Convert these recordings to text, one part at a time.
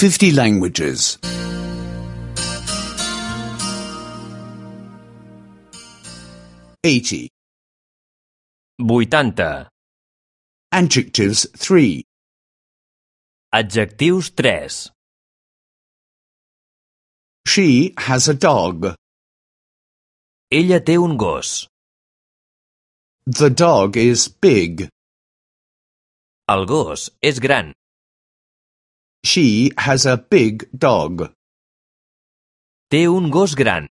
50 languages. 80. 80. Adjectives 3. Adjectius 3. She has a dog. Ella té un gos. The dog is big. El gos és gran. She has a big dog. Té un gos gran.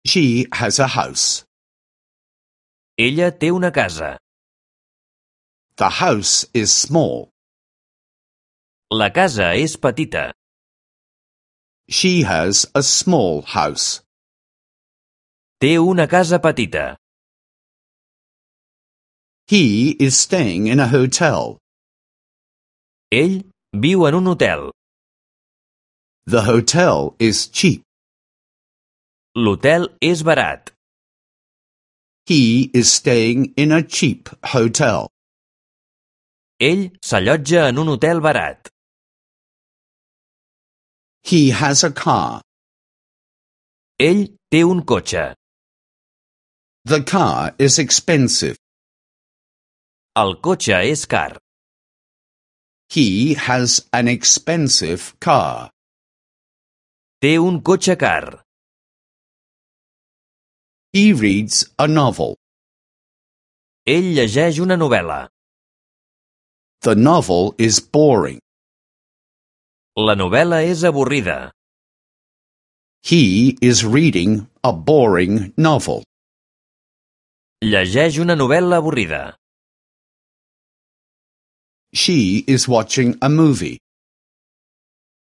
She has a house. Ella té una casa. The house is small. La casa és petita. She has a small house. Té una casa petita. He is staying in a hotel. Ell viu en un hotel. The hotel is cheap. L'hotel és barat. He is staying in a cheap hotel. Ell s'allotja en un hotel barat. He has a car. Ell té un cotxe. The car is expensive. El cotxe és car. He has an expensive car. Té un cotxe car. He reads a novel. Ell llegeix una novel·la. The novel is boring. La novel·la és avorrida. He is reading a boring novel. Llegeix una novel·la avorrida. She is watching a movie.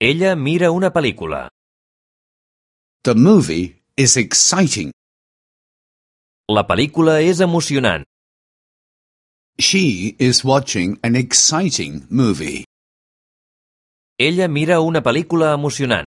Ella mira una pel·lícula. The movie is exciting. La pel·lícula és emocionant. She is watching an exciting movie. Ella mira una pel·lícula emocionant.